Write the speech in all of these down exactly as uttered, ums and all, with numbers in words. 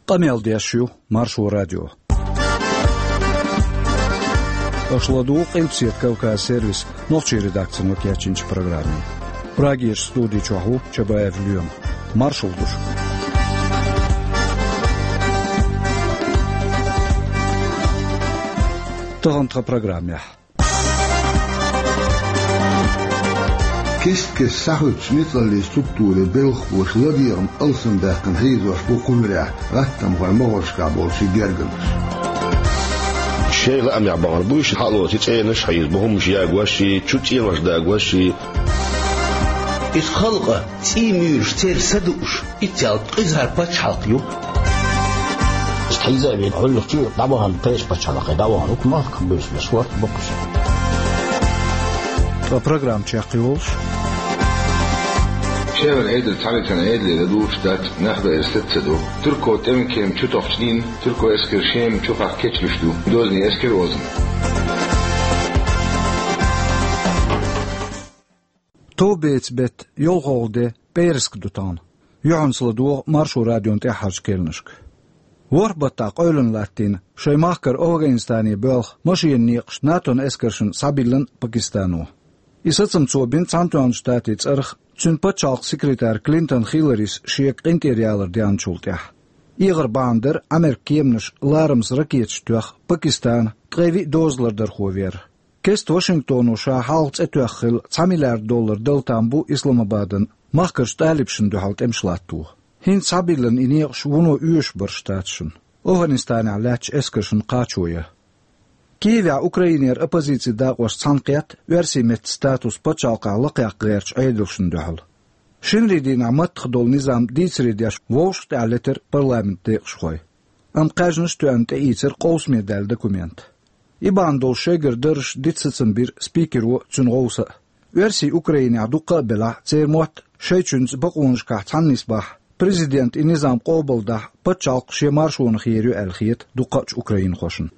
Къамел деш ю Маршо радио. Аша ладугӀу Къилбаседа Кавказ сервисан нохчийн редакцино кечйинчу программе. Прагерчу студи чохь ву Чабаев Лоьма. Маршалла ду шуьга. Тахана тхан программехь. Кест-кеста схьахуьттучу ницкъаллийн структурийн белхахоша ладегӀам алсамдаьккхина хьийзош бу кху муьрехь гӀаттамхойн могӀаршкахь болчийн гергарнаш. Шайн лаамехь бахана бу уьш, хьалоций цӀенош хьийза бу, хӀуманаш ягош а, чу цӀенош дагош а. Иза халкъан цӀий муьйлуш, церан са дууш, итт ялта къиза хӀара пачхьалкх ю. Иштта хьийза а вийна, хьуьллах чу дӀавахана, кхечу пачхьалкхе дӀавахана, хӀокху махках буьйсанаш хӀорд бу-кх уьш. Ткъа программа чекхйолуш. Шеван Ӏедал цхьаьнггина Ӏедале ладугӀуш дац, нах дан иза саца ца ду. Турко тӀеман кема чу тохчу дийнахь, турко эскар Шема чухахь кечлуьйш ду, дозанийн эскар озна. Товбецан беттан йолхалгӀа де, пӀераска ду тахана. Юьхьанца ладогӀа Маршо радион тӀаьххьарчу керланашка. ВорхӀ баттахь къевлина латтийна, шайн махкара Афганистане боьлху машенан некъаш НАТОн эскаршна схьабиллина Пакистано. И сацам цо бина Цхьаьнатоьхначу Штатийн цӀарах, цуьнан пачхьалкхан секретарь Клинтон Хилларис шега къинтӀера ялар деанчул тӀаьхьа. ЭгӀар бахьана дара Ӏамеркан кеманаш ларамаза ракеташ тоьхна Пакистанан ткъе виъ дозалардархо вер. Кеста Вашингтоно ша хьалха цӀе тоьхна хилла цхьа миллиард доллар дала там бу Исламабадна махкарчу талибашна дуьхьал тӀемаш латто. ХӀинца схьабиллина и некъаш вуно оьшуш бара Штаташна, Афганистанехь лаьттачу эскаршна кхачо ян. Киевехь Украинера оппозицин дакъош цхьаьна кхетта оьрсийн меттан статус пачхьалкхехь лакхаяккха гӀертачу Ӏедалшна дуьхьал. Шинарин дийнахь маттах долу низам дийцаре деш вовшах тӀаьхьа летира парламентан декъашхой. Амма кхаьжнаш а тоьъна тӀеийцира къовсаме даьлла документ. И бахьана долуш шайгара даржаш дита сацам бира спикеро а, цуьнан гӀовса а. Оьрсий Украинехь дуккха а белахь, церан мотт шайчуьнца бакъонашкахь цхьаьна нисбахь, президента и низам къобалдахь, пачхьалкх шен маршонах ер ю аьлла хета дуккхачу украинхошна.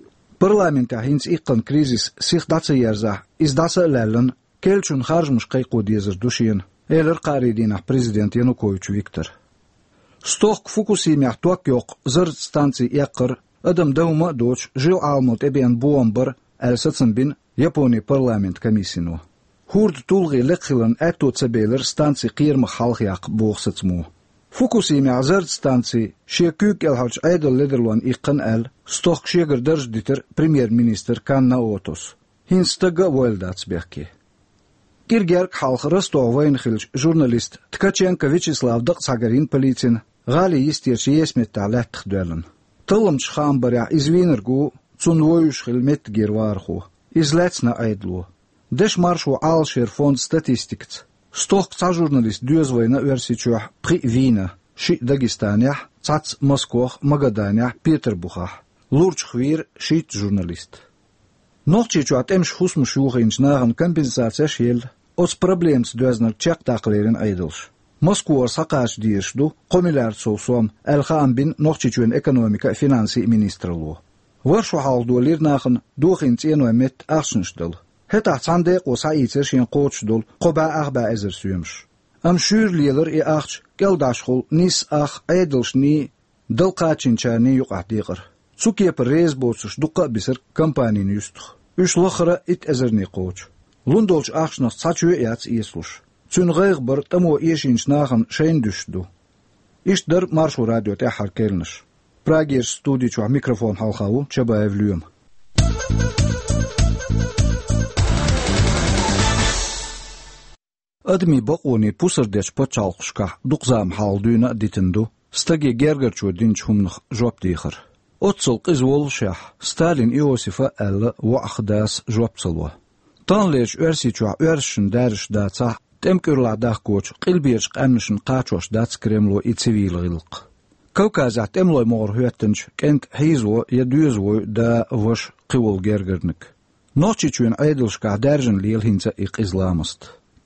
Парламентехь хӀинца иккхина кризис сиха дӀа ца ерзахь, иза дӀаса а лаьллина, керлачунна харжамаш кхайкхо дезар ду шена, элира кхаарин дийнахь президента Янукович Виктора. Стохка Фукусимехь ток йоккху зарратан станци эккхар, адам дан хӀума а доцуш, жил Ӏаламо тӀебеана бохам бара, аьлла сацам бина Японин парламентан комиссино. ХӀордан тулгӀе лекха хиларна аьтто ца белира станци кхерамах хьалхаяккха, боху сацамо. Фукусимехь зарратан станци шен куьйга кӀелхьарчу Ӏедалан ледарлонна иккхина аьлла, стохка шегара дарж дитира премьер-министр Кан Наотос. ХӀинца стаг а войла дац бехке. КӀира гергга хьалха Ростове вайна хиллачу журналист Ткаченко Вячеслав дакъа схьагарйина полицина, гӀалин йистерчу есаметтахь лаьттах доьллина. Талламчийн хаам барехь, иза вийнарг ву цунна вевзаш хилла меттигера вахархо. Иза лаьцна Ӏедало. Дешан маршо Ӏалашъяран фондан статистикаца, стохка цхьа журналист доьза вайна Оьрсийчохь, пхиъ вийна: шиъ Дагестанехь, цхьацца Москвахь, Магаданехь, Петарбухехь. Лурчах вийра шийтта журналист. Нохчийчохь тӀемаша хӀусамаш йохийначу нахана компенсацеш а елла, оцу проблемаца доьзнарг чекхдаккха лерина Ӏедалша. Москвара схьакхача дезаш ду кхо миллиард сов сом, аьлла, хаам бина Нохчийчоьнан экономикин а, финансийн а министралло. ВорхӀ шо хьалха долийра нахана дохийна цӀенойн метта ахчанаш дала. ХӀетахь цхьана декъо схьаийцира шена кхочуш долу кхо бӀе ах бӀе эзар соьмаш. Амма шуьйра лелара и ахча кӀелдӀашхула нийсса ах Ӏедалшний, дала кхачийначарний юкъахь декъар. Цу кепара реза боцурш дуккха а бисира компанин юьстах. Уьш лаххара итт эзарне кхочу. Лун долчу ахчанах цхьа чоь а яц эцалуш. Цуьнан гӀайгӀа бар тӀамо эшийначу нахана шайна дуьсуш ду. Иштта дара Маршо радион тӀаьххьара керланаш. Прагерчу студи чохь микрофон хьалха ву Чабаев Лоьма. Адамийн бакъонийн пусар дечу пачхьалкхашкахь дукха зама хьалха дуьйна а дитина ду стаге гергарчо динчу хӀуманах жоп дехар. Оццул къиза воллушехь, Сталин Иосифа аьлла воӀах дас жоп ца ло. Таханлерчу Оьрсийчохь оьрсашна даьржаш дацахь а, тӀеман кӀуьрлахь дахкочу къилберчу къаьмнашна кхачош дац Кремло и цивил гӀиллакх. Кавказехь тӀемалойн могӀара хӀоьттинчу кӀентан хьийзаво я доьзавой да, ваша, кхин волу гергарниг. Нохчийчоьнан Ӏедалшкахь даьржина лела хӀинца а и къиза ламаст.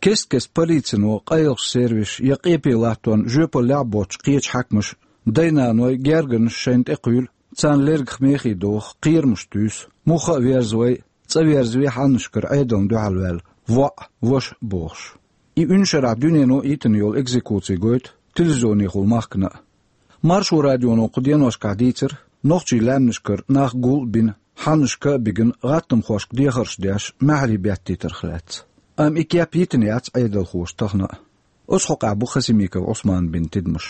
Кест-кеста полицино къайлахчу сервисаша я къепе латтонна жоьпаллехь а боццуш кхечу хьаькамаша дай-наной гергарнаш шайна тӀекхуьйлу, царна лергах мехий доху, кхерамаш туьйсу, муха а верзавай, цӀа верзаве хьаннашкара Ӏедална дуьхьал ваьлла воӀ, ваша бохуш. И уьн шарахь дуьнено йитина йолу экзекуци гойту телевизионехула махкана а. Маршо радионо кху деношкахь дийцира нохчийн лаьмнашкара нах гул а бина, хьаннашка а бигина, гӀаттамхошка дехарш деш, маьхьарий беттийтарх лаьцна. Амма и кеп йитина яц Ӏедалхоша тахана а. Оцу хьокъехь бу Хасимиков Ӏусмана бина тидамаш.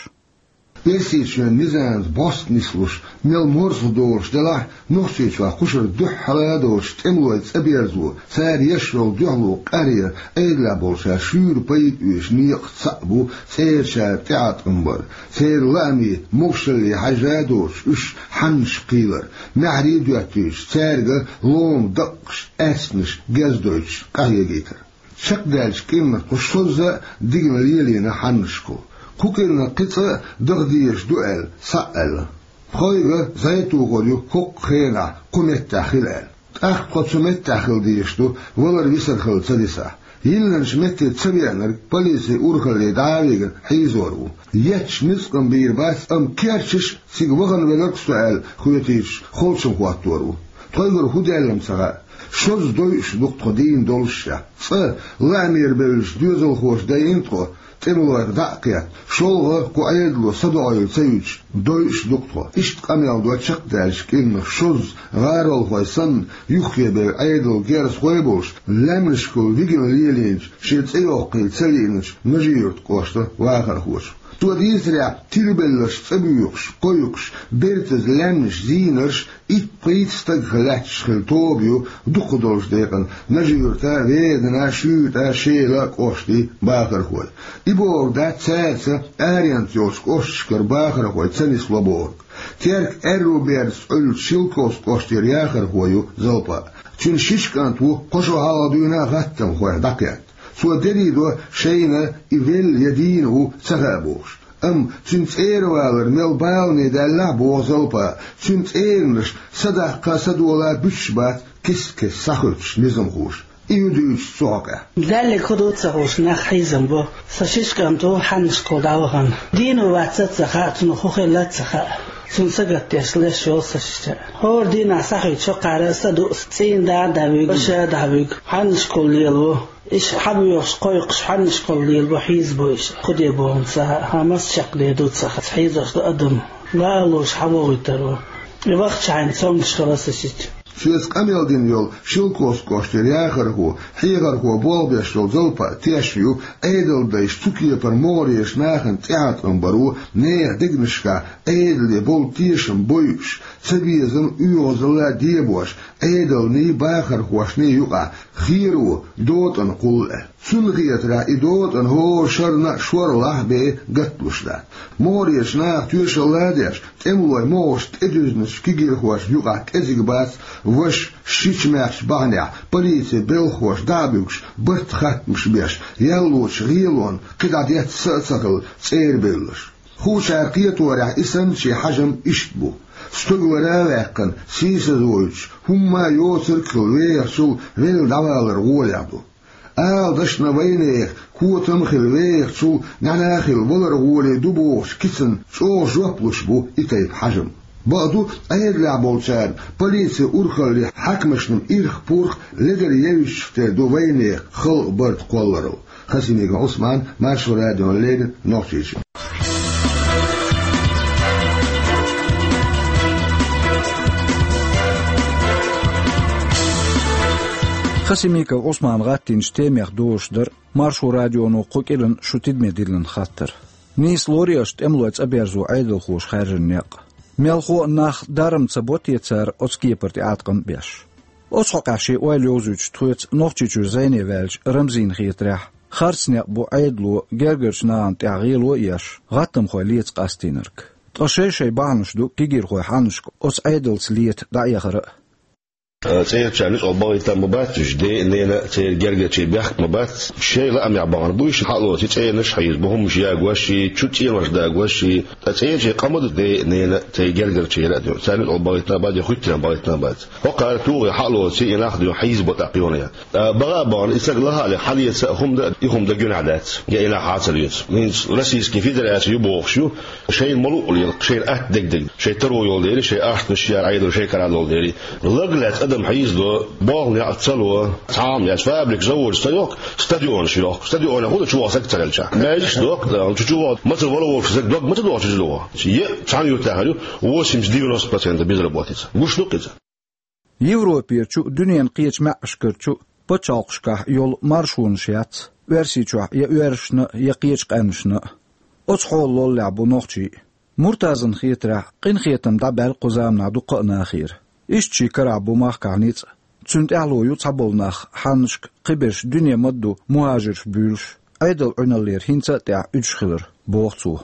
Оьрсийчоьнан низамца бӀост нислуш, мел марзо долуш делахь а, Нохчийчохь кху шарахь дуьххьара а долчу тӀемалойн цӀа берзо, цара еш йолу дуьхьало къахьегар Ӏедалехь болчара шуьйра пайда оьцучу некъаца цхьаъ бу цӀерачара тӀеӀаткъам бар, церан лаамийн могушалле хьаьжжина доцуш уьш хьаннашка кхийлар, маьхьарий а доьттуьйтуш, цаьрга лома даккхаш, аьрснаш герз дойтуш къахьегийтар. Чекхдаьллачу кӀирнах тхо шозза а дигна лелийна хьаннашка. Кху кӀирнах кхин цкъа а даха дезаш ду аьлла, схьа а аьлла. Тхоьга зӀе тухур ю хӀокху хенахь кху меттехь хила аьлла. ТӀаккха тхо цу меттехь хила дезаш ду, валар-висар хилла ца дисахь. Йиллинчу метте ца веанарг полицин урхалле дӀа а вигна хьийзор ву. Етташ ницкъ-м бийр бац, амма керчаш а, цига вахана веларг а со аьлла хоьтуьйтуш, холчам хӀоттор ву. Тхоьгара хӀун даьлла-м ца хаьа. Шозза дойуш ду-кх тхо дийна доллушехь. Цкъа лаамера бевллачу доьзалхоша дайина тхо, тӀемалойх дӀа а кхетта, шолгӀа кху Ӏедало садоӀийла ца юьтуш, дойуш ду-кх тхо. Иштта къамел до чекхдаьллачу кӀирнах шозза, гӀаролхой санна, юххе бевлла Ӏедалан герзахой а болуш, лаьмнашкахула вигина лелийначу, шен цӀе йоккхийла ца лиъначу Нажи-Юьртан кӀоштан вахархочо. Цо дийцарехь, тилабелларш цӀа буьйхуш, кхойкхуш, бертаза лаьмнаш, зийнарш итт-пхийтта стагах лаьтташ хилла тоба ю дукхах долчу декъана Нажи-Юьртан, Веданан, Шуьйтан, Шелан кӀоштийн бахархой. И бохург дац цаьрца аренца йолчу кӀошташкара бахархой ца нисло бохург. Теркан аьрру бердаца Ӏуьллучу Шелковски кӀоштара яхархо ю Залпа. Цуьнан шишша кӀант ву кхо шо хьалха дуьйна гӀаттамхойх дӀакхетта. Цо дерриг а до шайна и велла я дийна ву ца хаьа бохуш. Амма цуьнан цӀера валар мел балане даьллахь а, боху Залпа, цуьнан цӀеранаш садаккха а, садола а буьтуш бац кест-кеста схьахуьттуш низамхоша. И ю дуьйцуш цу хьокъехь. Даьлларг хӀун ду ца хууш, нах хьийзам бо. Сан шишша кӀант ву хьаннашкахула дӀавахана. Дийна ву, вац а ца хаьа, цунах хӀун хилла а ца хаьа. Цунна сагатдеш леш йолу сан шиша. ХӀора дийнахь схьахуьйту шоккхара, саду ас, цӀийнан да а дӀавуьгу, ваша а дӀавуьгу. Хьаннашкахула лелаво. Иштта хьабоьхуш, кхойкхуш, хьаннашкахула лелаво, хьийзабо иштта. ХӀун де боху-м ца хаьа, хьан маса чекхдер ду ца хаьа, хьийзош ду адам. Лалуш хьавогӀуьйтур ву. И вахча хьайна цомгуш хила аса сита. Соьца къамел дина йолу Шелковски кӀоштара яхархо, хьехархо болх беш йолу Залпа тешна ю, Ӏедалдайша цу кепара могӀарерчу нахана тӀеӀаткъам бар ву, нехан дегнашкахь Ӏедале болу тешам бойуш, цабезам, оьгӀазалла дебош, Ӏедалний, бахархошний юкъахь хераву дотӀана кхуллу аьлла. Цунна хетарехь, и дотӀана хӀора шарна а шорлахь а бен гатдеш дац. МогӀарерчу наха тоьшалла а деш, тӀемалойн могӀаршна тӀедуьзначу кегийрхошна юкъахь кӀезиг бац ваша шича-маьрша бахьанехь полицин белхахоша дӀа а буьгуш, барт-хаттамаш беш, яьллачу гӀелонна кхидӀа детта са а ца хилла цӀера бевлларш. Хуучара кхеторехь, и санначийн хьажам иштта бу. Стогалара а ваьккхина, сийсазвойтуш, хӀумма а йоцург а хилла вехачул велла дӀавалар гӀолехь ду. Ала дашна вайнехан котам а хилла вехачул, нана а хилла валар гӀоле ду бохучу кицанна чӀогӀа жоп луш бу и тайпа хьажам. Бакъду, Ӏедалехь болчарна, полицин урхаллин хьаькамашна ирх-пурх ледара евзачух тера ду вайнехан халкъан барт кхолларал. Хасимиков Ӏусман, Маршо радиона леррина, Нохчийчоь. Хасимиков Ӏусмана гӀаттийначу темех дозуш дара Маршо радионо кху кӀиран шу тидаме диллина хаттар. Нийса лорий аша тӀемалойн цӀа берзо Ӏедалхоша хаьржина некъ? Мелхо а нах дарам ца бо те цара оцу кепара тӀеӀаткъам а беш? Оцу хьокъехь шен ойла йовзуьйтуш тхоьца Нохчийчуьра зӀене ваьллачу Рамзина хетарехь, харц некъ бу Ӏедало гергарчу нахана тӀехь гӀело а еш, гӀаттамхой леца къастийнарг. Ткъа шай-шай бахьанаш ду кегийрхойн хьаннашка оцу Ӏедалца лета дӀаэхара а. ЦӀерачарна нуьцкъала бахийта ма бац уьш, ден а, ненан а, церан гергарчийн бехк ма бац. Шайн лаамехь бахана бу уьш, хьалоций цӀенаш хьийзабо, хӀуманаш ягош, чу цӀенош дагош, ткъа цӀерачийн къа ма ду ден а, ненан а, церан гергарчийн а, царна нуьцкъала бахийтина а бац, я хӀуьттина бахийтина а бац. ХӀокхара тухий хьалоций и нах дуьйна хьийзабо тӀаккха юха. А, баха а бахана, и стаг лахахь а ле, хьалеца а хӀума дан, и хӀума дан гуьнахь дац, я и нах хьа а ца лоьцу. ХӀинца Российский Федераци ю бохуш ю, шайна ма луъу лела, шайна атта дегнарг, шайн таро йолу дела, шайн ахчанаш яра Ӏедал шайн кара долу дела. Лаг лаьцна Ма хьийза до, болх неӀ ца ло, цхьа хӀума яц, фабрика, заводаш ца йохку, стадионаш йохку. Стадионе хӀун ду, чу ваха саг ца хилча? Маьждигаш дохку, да, чу, чу ваха ма ца вала волуш саг дог ма ца доху чу доху. Е, цхьана юртахь ю, восемьдесят-девяносто процентов безработица. Гуш ду-кх иза? Европерчу, дуьненан кхечу маьӀӀашкарчу пачхьалкхашкахь йолу маршонаш яц, Оьрсийчохь я оьрсашна а, я кхечу къаьмнашна а. Оцу хьолан лоллехь бу нохчий а. Муртазан хетарехь, къинхетам дӀабаьлла кху заманахь дуккха а нахера. Иштта шен карахь бу махкахь ницкъ. Цуьнан тӀаьхьало ю цхьаболу нах, хьаннашка кхиберш дуьне ма-дду мухӀажирш буьйлуш, Ӏедал Ӏуьналлера хӀинца а тӀехь уьдуш хилар, боху цо.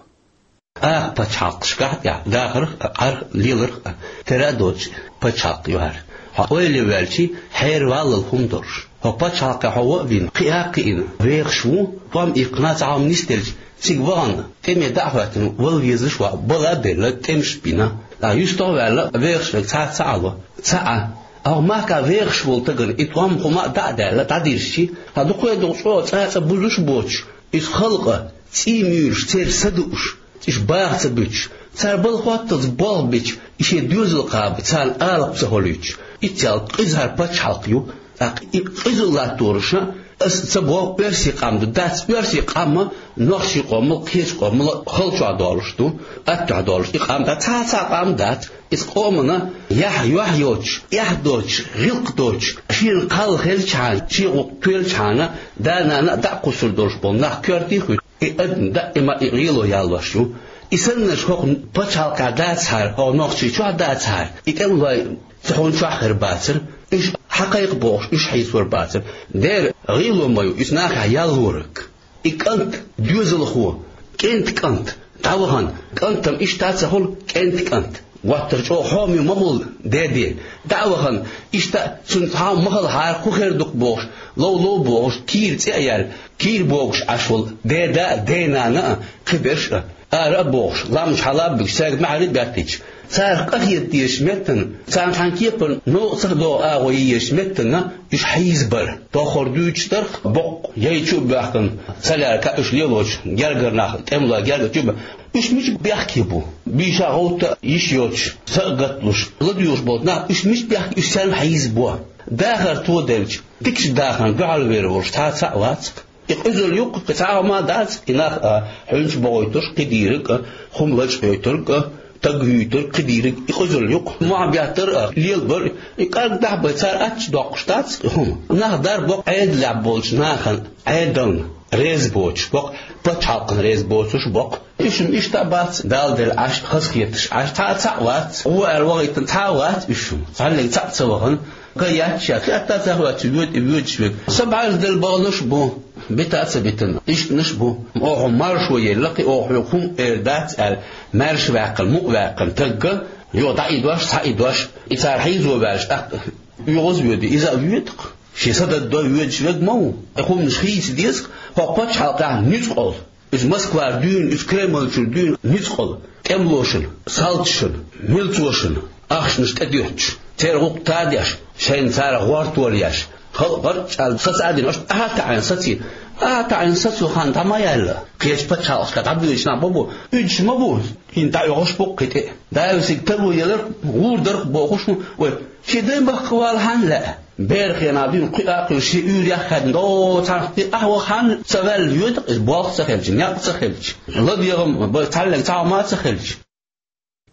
Акха пачхьалкхашкахь тӀехь дахарх а, Ӏарх а, леларх а, тера а доцуш пачхьалкх ю хӀара. Хьо ойла ваьлчи, хьераваллал хӀума долуш. Хьо пачхьалкхе хьо ван а вина, кхиа а кхиъна, вехаш ву, тӀом иккхина цхьа хӀума нисделча, цига вахана, тӀеме дӀа а хӀоьттина, вала везаш ваха, бала а белла, тӀемаш а бина. ТӀаккха юьстах а ваьлла, вехаш верг цхьацца а Ӏа ло, ца Ӏа. Ахьа махкахь вехаш волу стагана и тӀом хӀума а дӀа а даьлла, дӀадирзичи, хьан дукха а дукха чӀогӀа цӀа-цӀа бузуш а боцуш, иза халкъан цӀий муьйлуш, церан са дууш, уьш баха ца буьтуш, цара бала хӀотталц болх бича, и шен доьзал кхаба, царна алапа ца хилийтуш. Иццел къиза хӀара пачхьалкх ю, тӀаккха и къизалла латтораш а, аса ца боху оьрсийн къам ду, дац, оьрсийн къам а нохчийн къомал, кхечу къомал хала чохь долуш ду, аттахь долуш и къам дац, цхьа а цхьа къам дац. Иза къомана яхь, юьхь йоцуш, эхь доцуш, гӀиллакх доцуш, шена кхалла хилчхьана, шен гӀуллакх тоьлчхьана, да-нана а дӀа а кхуссур долуш болу нах коьртий хуьлу. И адам даима и гӀело яллош ю. И саннарш хӀокху пачхьалкхехь дацахьара, хӀокху Нохчийчохь дацахьара, и тӀемалой цхьа хӀума чохь хир бацара, уьш хьакхайкха бохуш, уьш хьийзор бацара. Дера гӀело ма ю, иза нахехь яллораг. И кӀант, доьзалхо, кӀентан кӀант, дӀавахана, кӀантана иштта а ца хуьлу, кӀентан кӀант. Гуттар чӀогӀа хьоме ма хуьлу, деде, дӀа а вахана, иштта а цуьнан цхьа хӀума ма хилахьара, хӀун хир ду-кх бохуш, лов-лов бохуш, кийра цӀе а яьлла, кийра богуш Ӏаш волу деда а, денана а, кхиберш а, ара а бохуш, ламазаш хьала а буьгуш, цаьрга маьхьарий а баьттича, царах къахета дезачу меттана, царна цхьана кепара новкъа ца догӀу агӀо йен езачу меттана уьш хьийзабар. Тоххара дуьйцуш дарх боккха, яйчу а боьхкина, ца лаьрга уьш лелочу гергара нах, тӀемалой гергарчу а бан. Уьш мича бехке бу? Бийша гӀовтта а йиш йоцуш, са а гатлуш, ладоьгӀуш болчу нах, уьш мича бехке, уьш царна хьийзабо? Дахар тоделча, дикачу дахарна дуьхьал вер волуш цхьа а цхьаъ вац-кх. И къизалла ю-кх, кхин цхьа а хӀума а дац-кх, и нах а, хьуьнчаш бохуьйтурш кхидийриг а, хӀума лачкъойтург а, таг хӀуьйтург, кхидийриг, и къизалла ю-кх. Мохь беттар а, лелабар а, и кӀаргдахь бен цара аттачу доккхуш дац-кх и хӀума. Нах дар боккха Ӏедалехь болчу нахана, Ӏедална реза боцуш боккха, пачхьалкхана реза боцуш боккха. Уьш-м иштта а бац, Далла делла Ӏаш, хазахеташ Ӏаш, цхьа а цхьаъ вац, гӀо аьлла вахийтина цхьа а вац уьш-м. Цхьаьллиг цхьаъ ца вахана, кхин яц ша, кхин атта а ца хӀоьттича, воьду и воьдуш верг. Са бӀаьрзе делла баханаш а бу, бита а ца битина, ишканаш а бу. Оха маршо елла кхин, оха хьоьга хӀума эр дац аьлла, маьрша ваьккхина, мукъа ваьккхина тагга, юха дӀа и дош, цхьа и дош, и цара хьийзо ваьлча, тӀаккха оьгӀаз а воьду, иза а воьду-кх. Шен са даддо воьдуш верг ма ву. И хӀуманаш хийца деза-кх, хӀокху пачхьалкхехь нуьцкъала. Иза Москвара дуьйна, иза Кремльчуьра дуьйна нуьцкъала, тӀемалошна, салташна, милцошна, ахчанаш тӀедоьттуш, церан гӀуллакх тадеш, шайна царах гӀортор еш, халкъ гӀарчӀ аьлла саца а дина, аша ахьа а таӀийна сацийна, ахьа а таӀийна сацо хан дӀа ма яьлла. Кхечу пачхьалкхашка дӀабоьдуш нах ма бу, уьдуш ма бу, хӀинца дӀаоьхуш бу-кх кхин тӀе. Дала весиг таро елар, гӀур дарх бохуш ву вай. Шен даймахка вала хьанна лаьа? Беран хенахь дуьйна кхуьа а кхуьйсуш, шен уьйр яххаьдна, до цхьаьнах тӀе ахьа ваха хьанна ца ваьлла йоьду-кх иза, болх ца хилча, некъ ца хилча, ладегӀам бан цхьаьллиг цхьа хӀума а ца хилча.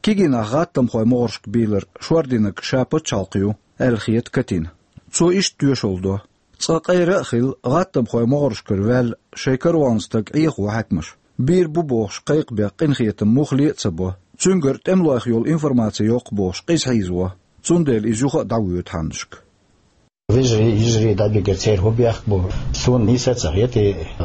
Кегийнах гӀаттамхойн могӀаршка бийлар шординарг ша пачхьалкх ю, аьлла хета Катина. Цо иштта тоьшалла до. Цкъа къера а хилла, гӀаттамхойн могӀаршкара ваьлла шайн каравална стаг Ӏехаво хьаькамаш. Бийр бу бохуш кхайкхабех къинхетам муххале а ца бо, цуьнгара тӀемалойх йолу информаци йоккху бохуш къиза хьийзаво, цундела иза юха а дӀавоьду хьаннашка. Вежарий, йижарий дӀабигар церан хӀун бехк бу? Суна нийса а ца хета,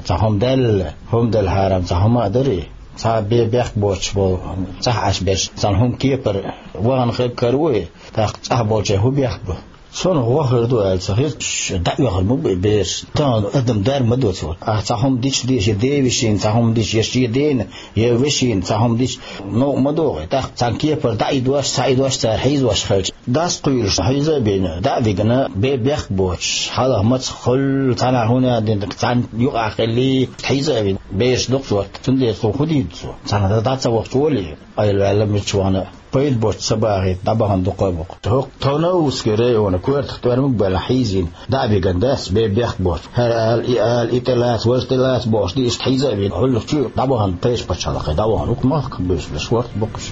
цхьа хӀума даьлла, хӀума делхьара-м цхьа хӀума а дарий, цхьа бе-, бехк боцуш болу, цӀахь Ӏаш берш, цхьана хӀума кепара вахана хир каро и, тӀаккха цӀахь болчеран хӀун бехк бу? Суна гӀо хир ду аьлла ца хета, дӀаоьхур ма бу и бераш. Тахана адам дар ма ду цо. Ахь цхьа хӀума дича деза, я ден вешина цхьа хӀума дича, я шен дена, я вешина цхьа хӀума дича, новкъа ма догӀий. ТӀаккха цхьана кепара дӀа и дош, цхьа и дош цара хьийзош хилча, дас кхуьйлуш хьийза а бина, дӀа а вигна, бе-, бехк боцуш, хьалха маца хуьлу, цхьанхьа хӀун а дина, цхьаьна юкъахь хилий, хьийза а вина, бераш дукха сорта. Цундела цо хӀун дийр ду цо? Цхьана дӀа ца вахча волий, айла ваьлла мичча вахана а. Пайда боцу ца бахийта дӀабахана дукха а бу-кх. ХӀокху Тонавскан районан коьртах тӀоьрмаг а белахь хьийзийна, дӀа а бигина дац, бен бехк боцу. ХӀара ала, и ала, и тӀелаца, важа тӀелаца бохуш ди, иштта хьийза а вина, Ӏуьллух чу дӀабахана тайпа пачхьалкхе дӀавахана. ХӀокху махках буьйсанаш хӀорд бу-кх уьш.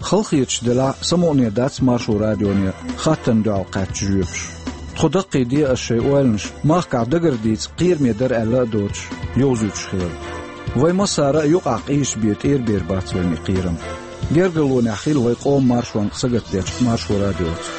Хала хеташ делахь, самукъане дац Маршо радионе хаттарна дуьхьал кхаьчна жоьпаш. Тхо даккхийде ас шайн ойланаш, махкахь дагара дийца кхераме дара аьлла а доцуш, йовзуьйтуш хиларна. Вай массара а юкъахь къийсаш бен тӀера бер бац вайна и кхерам. Гергарлонехь хила вай къоман маршонна сагатдечу Маршо радиоца.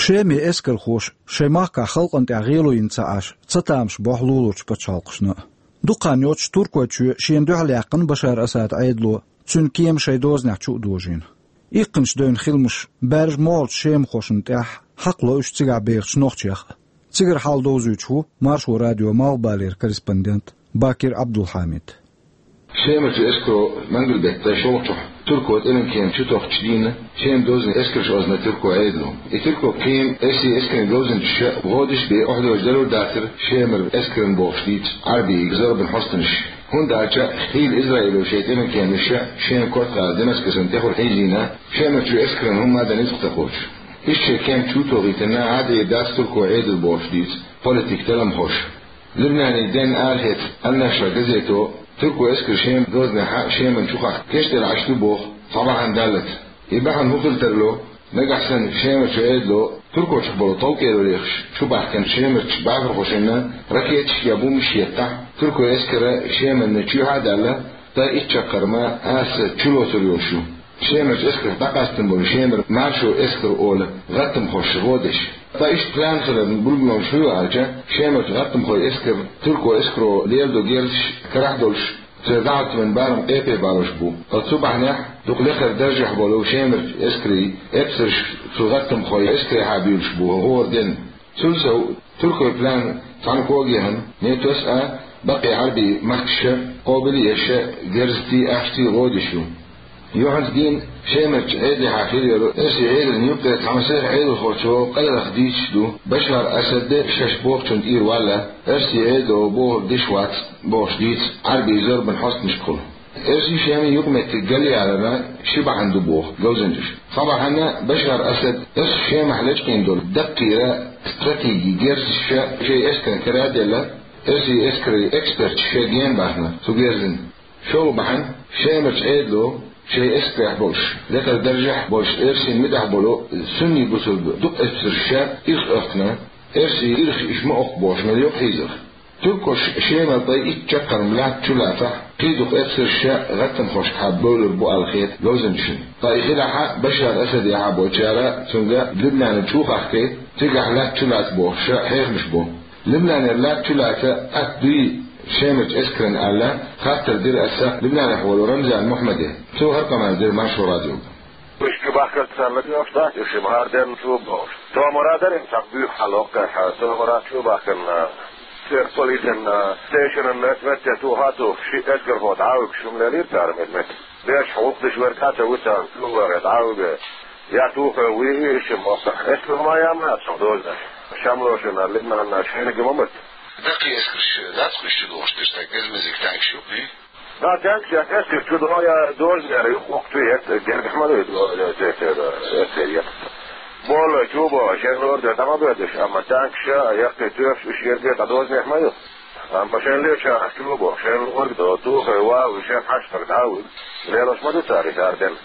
Шеман эскархоша шайн махкахь халкъана тӀехь гӀело йина ца Ӏаш, цатамаш бохьу луларчу пачхьалкхашна а. Дукха хан йоццуш Туркойчоь шена дуьхьал яьккхина Башар Асадан Ӏедало, цуьнан кема шайн дозанехь чу а дожийна. Иккханаш девнна хиламаш баьржа могӀарчу шемахошна тӀехь хьакхало уьш цигахь бехачу нохчех а. Цигара хьал довзуьйтуш ву Маршо радион Малхбалера корреспондент Бакир Ӏабдулхьамид. Шемарчу эскаро мангал-беттан шолгӀачохь турко тӀеман кема чу тохучу дийнахь, Шеман дозанан эскарш озна турко Ӏедало. И турко кема оьрсийн эскарийн говзанчаша гӀо деш бен охьадожуш далур дацара Шемара эскарна бохуш дийца Ӏарбийн зорбан хьостанаша. ХӀунда аьлча хийла Израило шайн тӀеман кеманаш Шеман коьртехь Дамаскасана тӀехула хьийзийна, Шемарчу эскарна хӀумма а дан ницкъ ца кхочуш. Иштта шайн кема чу тохийтина Ӏадъе дац турко Ӏедало бохуш дийца политикан талламхоша. Либнанан денна арахеца Ал-Нашра газето турко эскар Шеман дозанехь Шеман чу хахка кечдина Ӏаш ду боху цхьа бахьана даллалц. И бахьана хӀун хила тарло, нагахь санна Шемарчу Ӏедало туркойчух болу товкӀело лехаш чу баьхкинчу Шемарчу бахархошна ракеташ я бомбаш еттахь, турко эскар Шеманна чоьхьа а даьлла, ткъе итт чаккхарма аса чулоцур йолуш ю. Шемарчу эскарх дӀакъастина болу Шемара маршо эскар олу гӀаттамхоша гӀо деш. Ткъа иштта план хиларна билгалонаш хӀун ю аьлча, Шемарчу гӀаттамхойн эскар турко эскаро леладо герзаш карахь долуш, церан дӀахӀоттаман барам къепе балош бу. Ткъа цу бахьанехь дукха лекхара даржехь болу Шемарчу эскарийн эпсарш цу гӀаттамхойн эскарехьа буьйлуш бу хӀора денна. Цул сов, туркойн план цхьана когехьа НАТОс а, баккхий Ӏарбийн махкаша а къобал а еш, герзаций, ахчаций гӀо деш ю. Юьхьанца дийна Шемарчу Ӏедалехьа хилла йолу оьрсийн Ӏедална юккъера цхьа масех Ӏедалхочо къайлаха дийцаш ду, Башар Асад шаьш бохучунна тӀера валла, оьрсийн Ӏедало бохург деш вац бохуш дийца Ӏарбийн зорбан хьостанашкахула. Оьрсийн, Шеман юкъаметтиг галъяларна ши бахьана ду боху говзанчаша. Цхьа бахьана, Башар Асад оьрсийн Шемахь лечкъийна долу даккхийра стратеги герзаш шен эскарна кара а делла, оьрсийн эскарийн эксперташа шен гена бахна цу герзана. ШолгӀа бахьана, Шемарчу Ӏедало шайн эскарехь болуш, лекхара даржехь болуш оьрсийн муьтӀахь болу сунний бусулба дукха эпсарш ирх оьхкина, оьрсийн ирх иштта ма оьккху бохуш мел йоккха хьийзарх. Туркоша Шемара ткъе итт чаккхарма лаьтта чу лацахь, кхин дукха эпсарш гӀаттамхошкахьа бевлур бу аьлла хета говзанчашна. Ткъа и хилахь а, Башар Асадехьа болчара цуьнга Либнана чу а хахкий, цигахь лаьтта чу лаца бохуш хьехамаш бу. Либнанера лаьтта чу лаца атта дуй Шемарчу эскарна аьлла, хаттар дира аса Либнанехь волу Рамзан Мухьаммаде. Цо хӀара къамел дира Маршо радиога. Уьш чу бахкарца санна, оьхуш дац уьш, ма хӀара денна чу бохуш. Томара дара цхьа буьйху хьал хӀокхуьнга, томара чу бахкарна, церан полисан, тешаран мет-, метте туху а тухуш, ши эскархо дӀа а вуьгуш, хӀума лелийра цара мет-, метте. Беш гӀуллакх деш верг а ца вуьту, чу вахе дӀа а вуьгу. Я тухе вуьйху иштта мохк. Эскар ма яьлла цхьа дозанаш. Шамлошна, Либнанна шайниг ма муьту. Даккхий эскарш дац-кх уьш чу дохуш, дерг стаг беза-мезиг танкаш ю-кх? Да, танкаш я эскар чу доху, я дозанера юххе-юххе чу етта, гергахь ма ду, до-, де-, де-, де-, эскар етта. Болу чу боху, шайн лорда дӀа ма боьдуш, амма танкаш а, яккхий тоьпаш уьш ерге дӀа дозанехь ма ю. Амма шайн лечахь чу боху, шайн лорг до, тухе вагӀа, шен хьаштаг дӀа а вуьгу. Лелош ма ду цара и хӀара денна.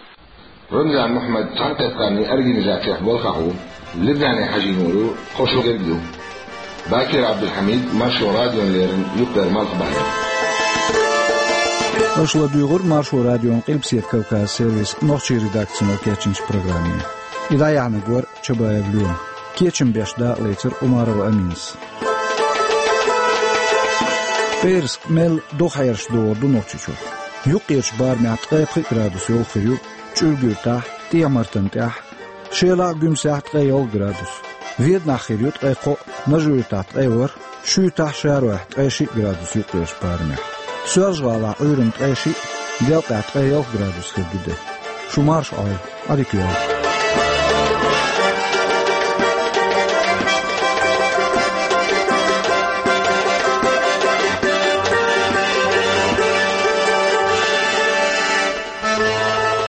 Рамзан Мухьаммад цхьаьнакхетарийн организацех болхахь ву, Либнане хьажийна волу кхо шо герга ю. Бакир Абдулхамид, Маршо радиона леррина, юккъера Малхбалера. Аша ладуьйгӀира Маршо радион Къилбаседа Кавказан сервисан нохчийн редакцино кечйинчу программе. И дӀаяьхьнарг вара Чабаев Лема. Кечам беш дакъалецира Умарова Аминас. ПӀераска мел доху хьераш догӀур ду Нохчийчохь. Юккъерчу барамехь ткъе пхиъ градус йовха хир ю ЧӀуьргуьртахь, ТӀехьа-Мартан тӀехь, Шелахь а, Гуьмсехь а ткъе ялх градус. Веданахь хир ю ткъе кхоъ, Нажи-Юьртахь ткъе ворхӀ, Шуьйтахь а, Шаройхь а ткъе шиъ градус юккъерчу барамехь. Соьлжа-ГӀалахь Ӏуьйранна ткъе шиъ, Делкъехь ткъе ялх градус хир ду де. Шумарш ойл. Адик ойл.